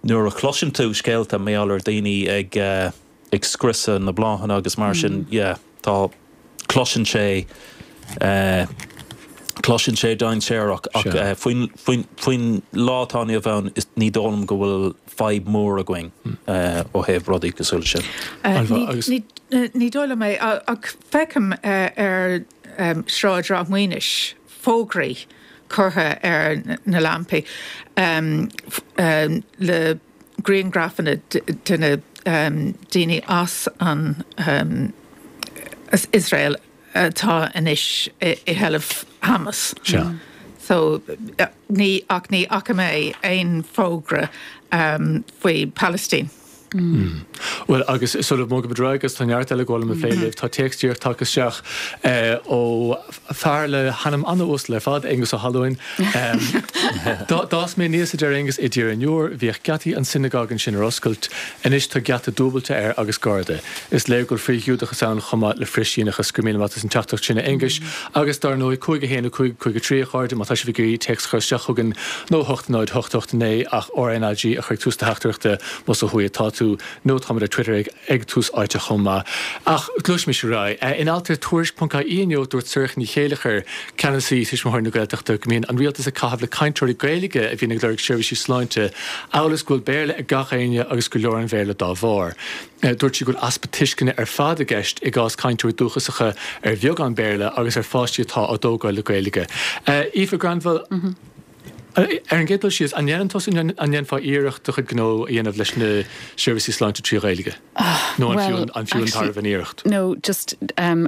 nuair a chloiseann tú scéalta mar gheall ar daoine ag ag scriosadh na bláthanna agus mar sin yeah tá cloiseann sé cloiseann sé dainséarach ach faoin faoin faoin lá atá inniu ann is ní dóigh liom go bhfuil fadhb mhór againn ó thaobh rudaí cosúil leis sin. Ní dóigh liom é ach feicim ar Sráid Ráth Maonais fógraí curtha ar na lampaí le grianghrafanna de na daoine as an as Iosrael atá anois i sheilbh Hamas. Sea. So ní ach ní fhaca mé aon fógra faoi Palestine. Bhuel, agus sula mbogaimid ar aghaidh, agus tá neart eile ag gabháil liom a phlé libh, tá téacs díreach tagtha isteach ó fear le hainm an-uasal ar fad, Aengus Ó hAlmhain. D'fhás mé aníos, a deir Aengus, i dTír an Iúir. Bhíodh geataí an synagogue ansin ar oscailt. Anois tá geata dúbailte air agus garda. Is léir go bhfuil frith-Ghiúdachas ann chomh maith le frith-Síneachas. Go raibh míle maith as an teachtaireacht sin, a Aonghuis. Agus dar ndóigh, 5 1 5 5 3, a chairde, má tá sibh ag iarraidh téacs a chur isteach chugainn, nó 8 0 8 8 9 ach RNAG a chur ag tús do theachtaireachta. Más ó thuaidh atá tú, nó táimid ar Twitter ag ag Tús Áite chomh maith. Ach gluaisimis ar aghaidh. In alt ar Tuairisc.ie inniu, dúirt Sorcha Ní Chéilleachair, ceannasaí Tuismitheoirí na Gaeltachta, go mbíonn an rialtas ag caitheamh le cainteoirí Gaeilge a bhíonn ag lorg seirbhísí sláinte, amhail is go bhfuil Béarla ag gach éinne agus gur leor an Bhéarla dá bharr. Dúirt sí go bhfuil easpa tuisceana ar fad i gceist i gcás cainteoirí dúchasacha ar bheagán Béarla agus ar pháistí atá á dtógáil le Gaeilge. Aoife Granville. Ar an gcéad dul síos, an ndéanann tusa, an ndéanfá iarracht do chuid gnó a dhéanamh leis na seirbhísí sláinte trí Ghaeilge? Nó an fiú an fiú an tairbhe an iarracht? No, just ó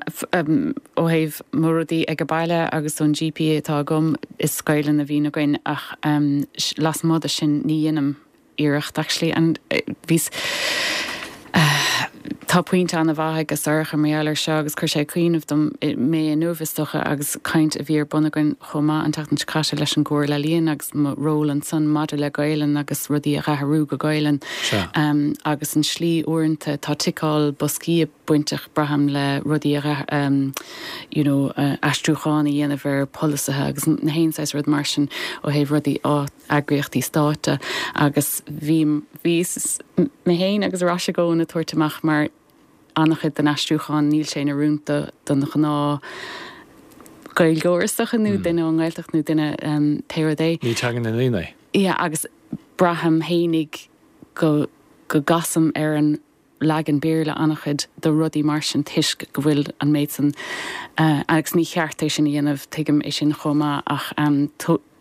thaobh mo rudaí ag an baile agus ón GP atá agam, is Gaelainn a bhíonn againn ach lasmuigh de sin ní dhéanaim iarracht actually and bhíos tá pointe an-mhaith ag Sorcha mar gheall ar seo agus chuir sé ag cuimhneamh dom mé inniu is dócha agus caint a bhí ar bun againn chomh maith an tseachtain seo caite leis an gComhairle Ealaíon agus mo ról ansan maidir le Gaelainn agus rudaí a athrú go Gaelainn agus an slí uaireanta tá ticeáil boscaí bainteach braithim le rudaí a you know aistriúchán a dhéanamh ar polasaithe agus na haon saghas rud mar sin ó thaobh rudaí á eagraíochtaí stáit de agus bhí, bhíos mé féin agus Rois i gcónaí ag tabhairt amach mar an-chuid den aistriúchán níl sé in oiriúint do, don ghnáth Gaeilgeoir is dócha nó duine ón nGaeltacht nó duine pé rud é. Ní teanga na ndaoine é. Yeah agus braithim fhéinig go, go gcasaim ar an leagan Béarla an-chuid de rudaí mar sin toisc go bhfuil an méid san agus ní cheart é sin a dhéanamh, tuigim é sin chomh maith ach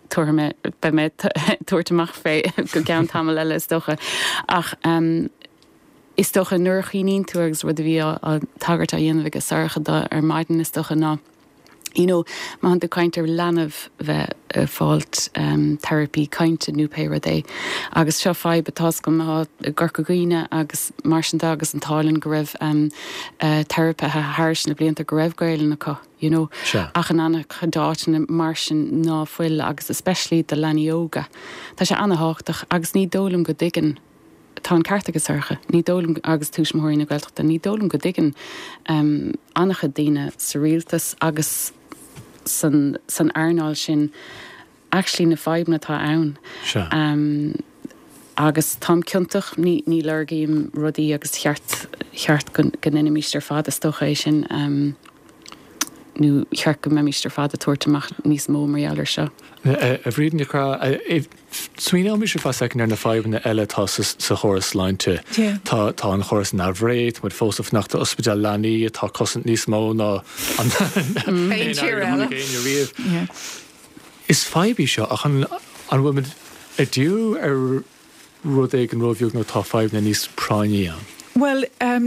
tabharfaidh mé, beidh mé ag tabhairt amach fé go gceann tamall eile is dócha. Ach is dócha nuair a chuimhníonn tú agus rud a bhí á tagairt á dhéanamh ag Sorcha do ar maidin is dócha ná, you know, má tánn tú ag caint ar leanbh bheith ag fáilt teiripí cainte nó pé rud é. Agus seo fadhb atá agam i gCorca Dhuibhne agus mar sin de agus an t-ádh linn go raibh teiripithe thairis na blianta go raibh Gaelainn acu, you know. Ach in an-chuid áiteanna mar sin ná fuil agus especially do leanaí óga. Tá sé an-thábhachtach agus ní dóigh liom go dtuigeann Tá an ceart ag Sorcha. Ní dóigh liom, agus Tuismitheoirí na Gaeltachta, ní dóigh liom go dtuigeann an-chuid daoine sa rialtas agus san san earnáil sin actually na fadhbanna atá ann. Sea. Agus táim ciontach, ní ní lorgaím rudaí agus cheart cheart go go ndéanfaimis ar fad is dócha é sin nó cheart go mbeimis ar fad ag tabhairt amach níos mó mar gheall ar seo. A Bhríd Ní Chonchúir, Smaoineoimis ar feadh soicind ar na fadhbanna eile atá sa chóras sláinte. Tá tá an chóras neamhréidh, tá muid fós ag fanacht d'ospidéal leanaí atá ag cosaint níos mó ná an aon airgead a tháinig éinne riamh. Is fadhb í seo ach an an bhfuil muid ag díriú ar rud éigin róbheag nó tá fadhbanna níos práinní ann? Bhuel,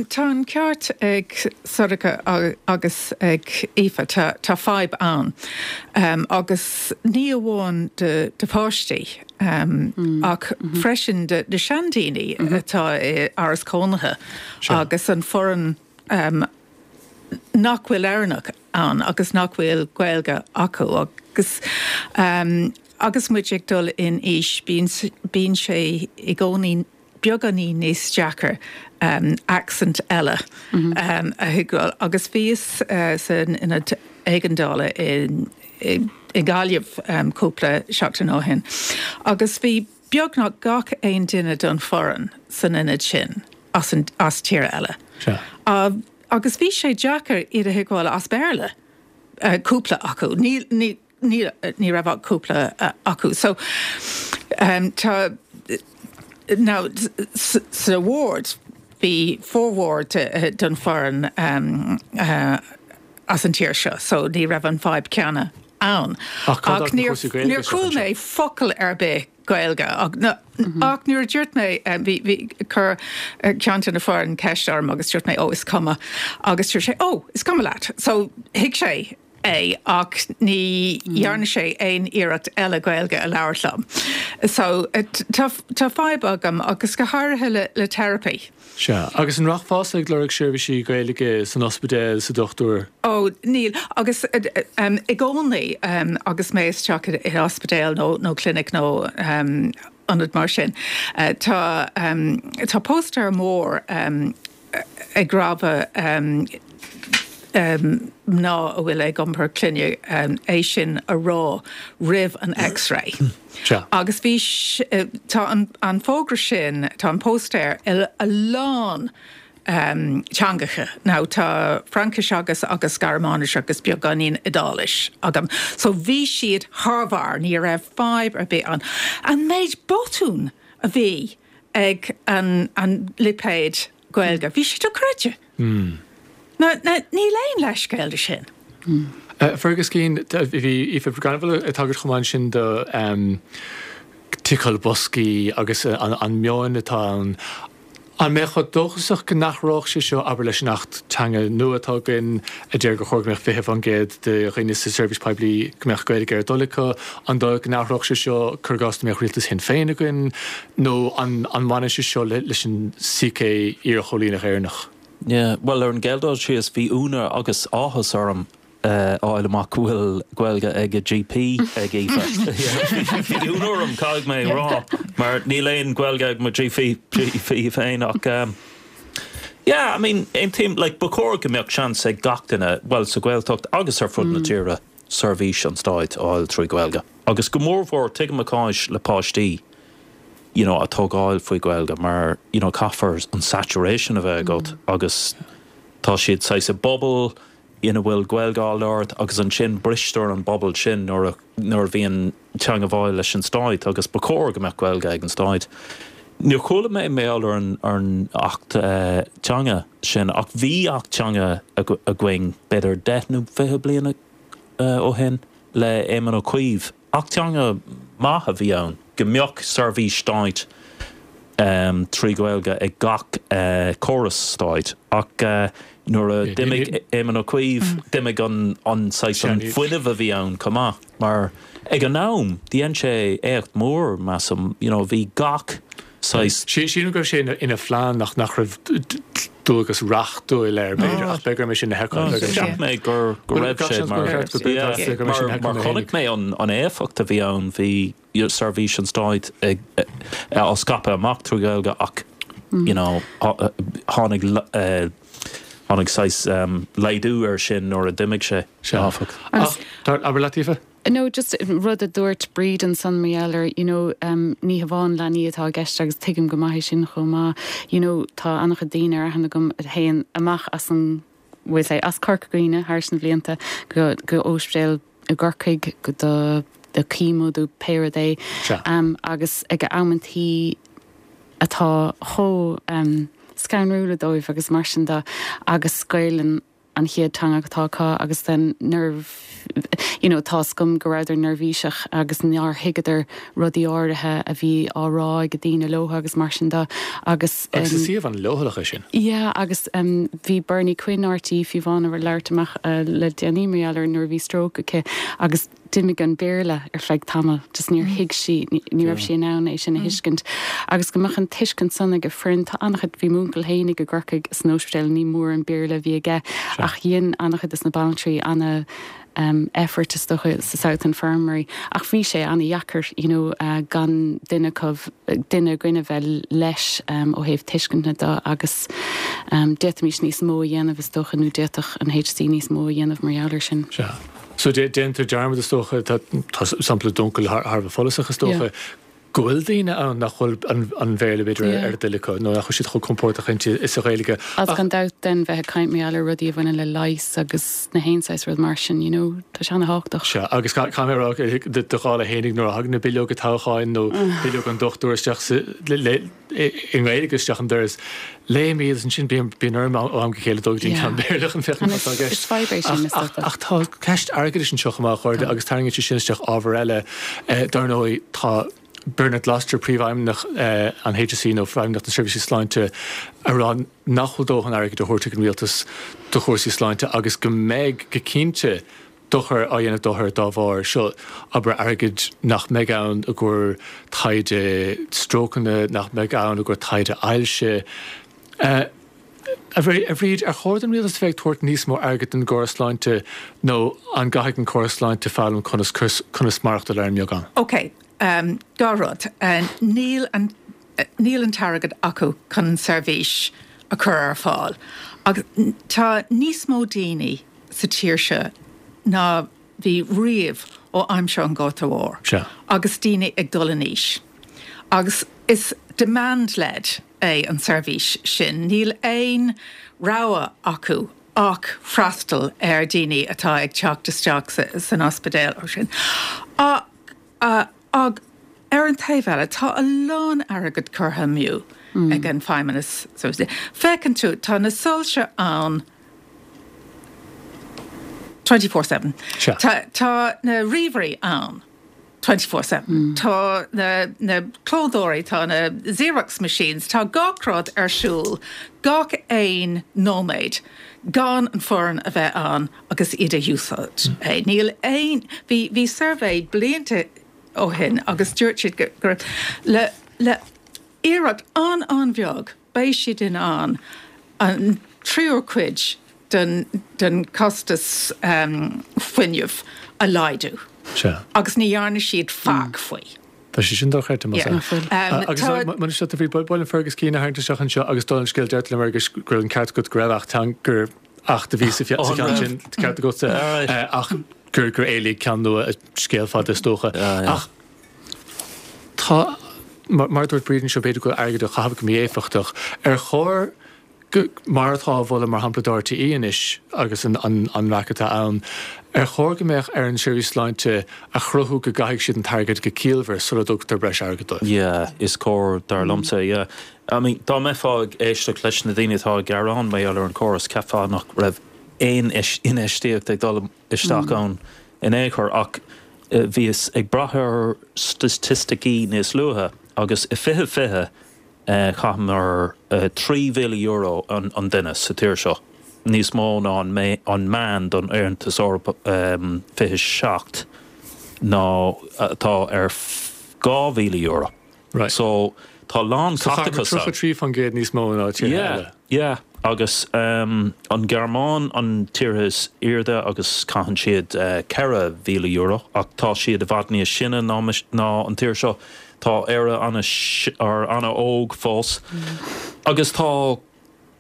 tá an ceart ag Sorcha agus ag Aoife, tá fadhb ann. Agus ní amháin do pháistí ach freisin do na seandaoine atá i áras cónaithe agus an foireann nach bhfuil Éireannach ann agus nach bhfuil Gaeilge acu agus agus muid ag dul in aois bíonn sé i gcónaí beagáinín níos deacair accent eile a thuigbheáil. Agus bhíos san ionad éigeandála i nGaillimh cúpla seachtain ó shin agus bhí beagnach gach aon duine den foireann san ionad sin as as tír eile. Agus bhí sé deacair iad a thuigbheáil as Béarla, cúpla acu. Ní ní ní raibh ach cúpla acu. So tá now sa ward bhí formhór den foireann as an tír seo so ní raibh an fadhb ceanna ann. Ach Ach níor níor chuala mé focal ar bith Gaeilge ach ach nuair a dúirt mé bhí bhí chuir ceann de na foireann ceist orm agus dúirt mé ó is cuma agus dúirt sé ó is cuma leat so thuig sé é ach ní dhearna sé aon iarracht eile Gaeilge a labhairt liom. So tá tá fadhb agam agus go háirithe le le teiripí. Sea. Agus an rachfása ag lorg seirbhísí Gaeilge san ospidéal, sa dochtúir? Ó, níl. Agus i gcónaí agus mé isteach i ospidéal nó nó clinic nó ionad mar sin, tá tá póstaer mór ag rabhadh mná a bhfuil ag iompar clainne é sin a rá roimh an X-ray. Agus bhí, tá an fógra sin, tá an póstaer i a lán teangacha. Now tá Fraincis agus agus Gearmáinis agus beagáinín Iodáilis agam. So bhí siad thar barr, ní raibh fadhb ar bith ann. An méid botún a bhí ag an an lipéad Gaeilge. Bhí sé dochreidte. Níl aon leithscéal de sin. Fergus Keane, bhí Aoife Granville ag tagairt chomh maith ansin do ticeáil boscaí agus an meon atá ann. An mbeifeá dóchasach go n-athródh sé seo, abair, leis an Acht Teanga nua atá againn, a deir gur chóir go mbeadh 20% de dhaoine sa tseirbhís poiblí go mbeadh Gaeilge ar a dtoil acu? An dóigh go n-athródh sé seo, cuir i gcás, dá mbeadh rialtas Shinn Féin againn? Nó an mbaineann sé seo leis an psyche iarchoilíneach Éireannach? Yeah, bhuel ar an gcéad dul síos bhí ionadh agus áthas orm a fháil amach go bhfuil Gaeilge ag a GP ag Aoife. Bhí ionadh orm, caithfidh mé a rá, mar níl aon Ghaeilge ag mo GP féin ach yeah, I mean, aontaím, like ba chóir go mbeadh seans ag gach duine, bhuel sa Ghaeltacht agus ar fud na tíre, seirbhís an stáit a fháil trí Ghaeilge. Agus go mórmhór, tuigim a cás le páistí. you know, a tógáil faoi Ghaeilge mar, you know, caithfear an saturation a bheith agat agus tá siad saghas i bpobal ina bhfuil Gaeilge á labhairt agus ansin bristear an bubble sin nuair a, nuair a bhíonn teangmháil leis an stáit agus ba chóir go mbeadh Gaeilge ag an stáit. Níor chuala mé mar gheall ar an, ar an Acht Teanga sin ach bhí Acht Teanga againn b'fhéidir 10 nó 20 bliana ó shin le Éamon Ó Cuív. Acht teanga maith a bhí ann, go mbeadh seirbhís stáit trí Ghaeilge ag gach córas stáit, ach nuair a d'imigh Éamon Ó Cuív, d'imigh an saghas an fuinneamh a bhí ann chomh maith, mar ag an am, dhein sé éacht mór, measaim, you know, bhí gach saghas. Sílim go raibh sé ina phlean ach nach raibh dualgas reachtúil air, b'fhéidir, ach beidh orm é sin a sheiceáil. Cheap mé go raibh sé mar mar chonaic mé an éifeacht a bhí ann, bhí seirbhís an stáit á scaipeadh amach trí Ghaeilge ach you know tháinig tháinig saghas laghdú air sin nuair a d'imigh sé, áfach. Ach, abair leat, Aoife. No, just rud a dúirt Bríd ansan mar gheall ar, you know, ní hamháin leanaí atá i gceist agus tuigim go maith é sin chomh maith, you know, tá an-chuid daoine ar aithne agam a théann amach as an, we'll say, as Corca Dhuibhne thar na blianta go, go ospidéal i gCorcaigh go do, do chemo do pé rud é agus ag amantaí atá chomh scanrúla dóibh agus mar sin de agus Gaelainn. an chéad teanga atá acu agus then nuair you know tá's agam go rabhadar neirbhíseach agus nár thuigeadar rudaí áirithe a bhí á rá ag daoine leo agus mar sin de agus. Agus is suíomh an-leochaileach é sin. Yeah agus bhí Bernie Quinn RTÉ fiú amháin ag labhairt amach le déanaí mar gheall ar nuair a bhí stroke aici agus d'imigh an Béarla ar feadh tamaill just níor thuig sí, ní raibh sí in ann é sin a thuiscint agus go mbeadh an tuiscint san ag an foireann tá an-chuid, bhí m'uncail fhéinig i gCorcaigh san ospidéal ní mór an Béarla a bhí aige ach dhein an-chuid des na banaltraí ana effort is dócha sa South Infirmary ach bhí sé ana-dheacair you know gan duine acu, duine againn a bheith leis ó thaobh tuiscint de agus d'fhéadfaimis níos mó a dhéanamh is dócha nó d'fhéadfadh an HSE níos mó a dhéanamh mar gheall air sin. Sea. So déantar dearmad is dócha, tá sampla d'uncail thar a bheith follasach is dócha, go bhfuil daoine ann nach bhfuil an Bhéarla b'fhéidir ar a dtoil acu nó nach bhfuil siad chomh compordach inti is sa Ghaeilge. Agus gan dabht then bheith ag caint mar gheall ar rudaí a bhaineann le leigheas agus na haon saghas rud mar sin, you know, tá sé ana-thábhachtach. Sea, agus caithfidh mé a rá do dhála fhéinig nuair a thagann na bileoga toghcháin nó bileog an dochtúir isteach sa, le, i nGaeilge isteach an doras, léim iad agus ansin bíonn orm ó am go chéile dul go dtí an ceann Béarla chun féachaint cad atá i gceist. Is fadhb é sin, is dócha. Ach tá ceist airgeadais anseo chomh maith, a chairde, agus tarraingíonn sé sin isteach ábhar eile. Dar ndóigh, tá Bernard Gloster, Príomhfheidhmeannach an HSE nó Feidhmeannacht na Seirbhíse Sláinte, ag rá nach bhfuil dóthain airgid á thabhairt ag an rialtas do chúrsaí sláinte agus go mbeidh, go cinnte, dochar á dhéanamh d'othair dá bharr seo, abair airgead nach mbeidh ann i gcomhair taighde strócanna, nach mbeidh ann i gcomhair taighde ailse. A Bhríd, ar chóir don rialtas a bheith ag tabhairt níos mó airgid don gcóras sláinte nó an gcaithfidh an córas sláinte foghlaim conas conas maireachtáil ar an mbeagán? Ok, dá rud. Níl an níl an t-airgead acu chun an seirbhís a chur ar fáil. Agus tá níos mó daoine sa tír seo ná bhí riamh ó aimsir an Ghorta Mhóir. Sea. Agus daoine ag dul in aois. Agus is demand-led é an seirbhís sin. Níl aon rogha acu ach freastal ar daoine atá ag teacht isteach san ospidéal or sin. Ach ar an taobh eile, tá a lán airgead curtha amú ag an Feidhmeannas. Féachann tú, tá na soilse ann 24/7. Tá na ríomhairí ann 24/7. Tá na clódóirí, tá na Xerox machines, tá gach rud ar siúl gach aon nóiméad gan an foireann a bheith ann agus iad a úsáid. Níl aon, bhí, bhí suirbhé blianta ó shin agus dúirt siad go raibh, le, le iarracht an-an-bheag, beidh siad in ann an tríú cuid den, den costas fuinnimh a laghdú. Sea. Agus ní dhearna siad faic faoi. Tá sé sin dochreidte, más ea. Agus muna seo, bhí buaileann Fergus Keane a tharraingt isteach anseo agus dála an scéil deirtear liom Fergus go raibh an ceart agat go raibh acht teanga gur acht a bhí sa cheann sin ceart agatsa ach gur gur éilíodh ceann nua scéal fada is dócha. Ach tá mar a dúirt Bríd anseo b'fhéidir go bhfuil airgead á chaitheamh go mí-éifeachtach. Ar chóir mar atá á mholadh mar shampla do RTÉ anois agus an raic atá ann, ar chóir go mbeadh ar an tseirbhís sláinte a chruthú go gcaithfidh siad an t-airgead go ciallmhar sula dtugtar breis airgid dóibh? Yeah, is cóir dar liomsa, yeah. I mean, dá mbeifeá ag éisteacht leis na daoine atá ag gearán mar gheall ar an chóras, cheapfá nach raibh aon infheistíocht ag dul isteach ann in aon chor ach bhíos ag brath ar staitisticí níos luaithe agus i 2020, Chaitheamar €3,000 an duine sa tír seo, níos mó ná an meán don Aontas Eorpach 27 ná atá ar €2,000. Right. So tá a lán So chaitheamar caiteachas ann. 33% níos mó ná tíortha Yeah, eile. yeah. Agus an Ghearmáin an tír is airde agus caitheann siad €4,000 ach tá siad i bhfad níos sine ná an tír seo. Tá Éire an-óg fós agus tá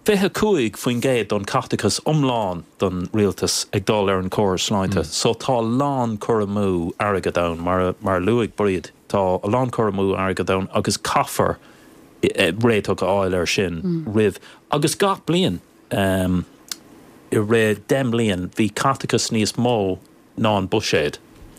25% don chaiteachas iomlán don rialtas ag dul ar an chóras sláinte. So tá a lán cur amú airgead ann, mar a luaigh Bríd, tá a lán cur amú airgead ann agus caithfear réiteach a fháil air sin roimh, agus gach bliain i rith 10 mbliain bhí caiteachas níos mó ná an buiséad.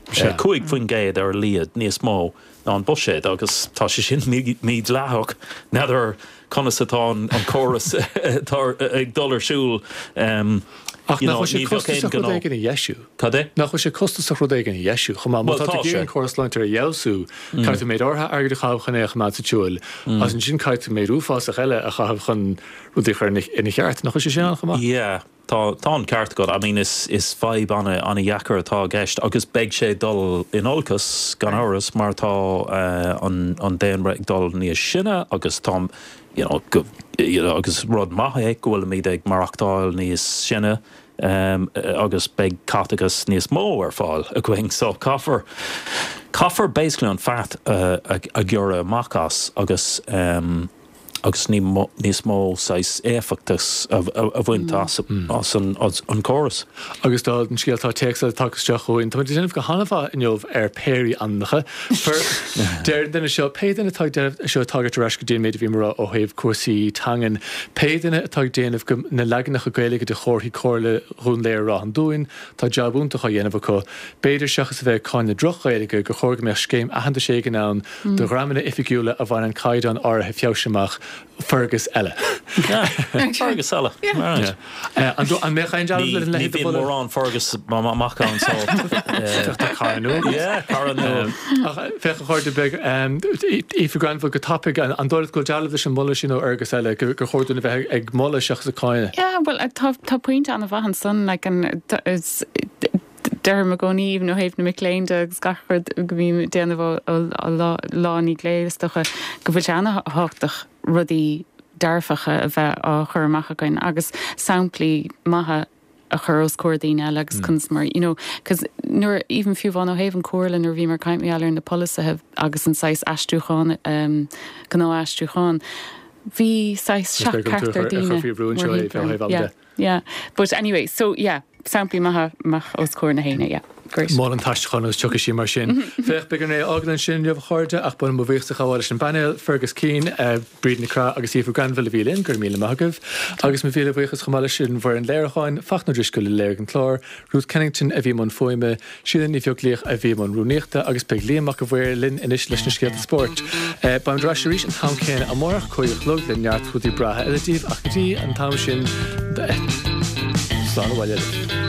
5% ar a laghad níos mó ná an buiséad agus tá sé sin mídhleathach. N'fheadar conas atá an córas atá ag dul ar siúl. Ach nach bhfuil sé costasach rud éigin a dheisiú? Cad é? Nach bhfuil sé costasach rud éigin a dheisiú chomh maith? Má tá tú ag iarraidh an córas sláinte a fheabhsú, caithfidh tú méid áirithe airgid a chaitheamh chun é a choimeád sa tsiúl, agus ansin caithfidh tú méid uafásach eile a chaitheamh chun rudaí a chur ina cheart. Nach bhfuil sé sin ann chomh maith? Yeah. Tá, tá an ceart agat. I mean is, is fadhb an-dheacair atá i gceist agus beidh sé ag dul in olcas, gan amhras, mar tá an, an daonra ag dul níos sine agus tá, you know, go, you know, agus rud maith é go bhfuilimid ag maireachtáil níos sine agus beidh caiteachas níos mó ar fáil againn. So caithfear, caithfear basically an fat a, a ghearradh amach as agus, agus níos mó saghas éifeachtas a bhaint as an chóras. Agus dála an scéil tá téacs eile tagtha isteach chugainn. Táimid ag déanamh go han-mhaith inniu ar péirí ainmneacha. Deir an duine seo, pé duine atá ag déanamh, seo ag tagairt ar ais go dtí an méid a bhí mé a rá ó thaobh cúrsaí teangan, pé duine atá ag déanamh go na leaganacha Gaeilge de chomharthaí Comhairle Dhún Laoghaire Ráth an Dúin, tá jab iontach á dhéanamh acu. B'fhéidir, seachas a bheith ag cáineadh droch-Ghaeilge, gur chóir go mbeadh scéim aitheantais éigin ann do dhreamanna oifigiúla a bhaineann caighdeán áirithe feabhais amach. Fergus eile. Fergus eile. An mbeadh aon dealramh lena leithéid de mholadh? Ní bhíonn mórán Fergus amach ann so. Féach tá cara nua. Yeah, cara nua. Ach féach a chairde beag, Aoife Granville go tapaidh, an dóigh leat go bhfuil dealramh leis an moladh sin ó Fhergus eile, gur chóir dúinn a bheith ag moladh seachas ag cáineadh? Yeah, bhuel tá pointe an-mhaith ansan, like an, is, Deirim i gcónaí, even ó thaobh na mic léinn de agus gach rud go mbím ag déanamh ó lá i ndiaidh lae, is dócha go bhfuil sé an-thábhachtach rudaí dearfacha a bheith á chur amach againn agus samplaí maithe a chur os comhair daoine eile agus conas mar, you know, 'cause nuair, even fiú amháin ó thaobh an Chomhairle nuair a bhíomar ag caint mar gheall ar na polasaithe agus an saghas aistriúchán, gnáth-aistriúchán, bhí saghas seach-cheartar daoine mórthimpeall orm. Yeah. Yeah, but anyway, so yeah, samplaí maithe amach os comhair na héinne, yeah, great. Mol an t-aistriúchán agus tiocfaidh sí mar sin. Féach, beidh orainn é a fhágáil ansin inniu a chairde, ach ba mhaith liom mo bhuíochas a ghabháil leis an bpainéal, Fergus Keane, Bríd Nic Craith agus Aoife Granville a bhí linn, go raibh míle maith agaibh. Agus mo mhíle bhuíochas chomh maith leis an bhfoireann léiriúcháin, Fachtna Ó Drisceoil a léirigh an clár, Ruth Kennington a bhí i mbun fuaime, Síle Ní Bheaglaoich a bhí i mbun rúnaíochta agus beidh Liam Mac a' Mhaoir linn anois leis na scéalta spóirt. Beimid ar ais arís an t-am céanna amárach, 5 a chlog, le neart rudaí breátha eile daoibh ach go dtí an t-am sin, slán abhaile libh.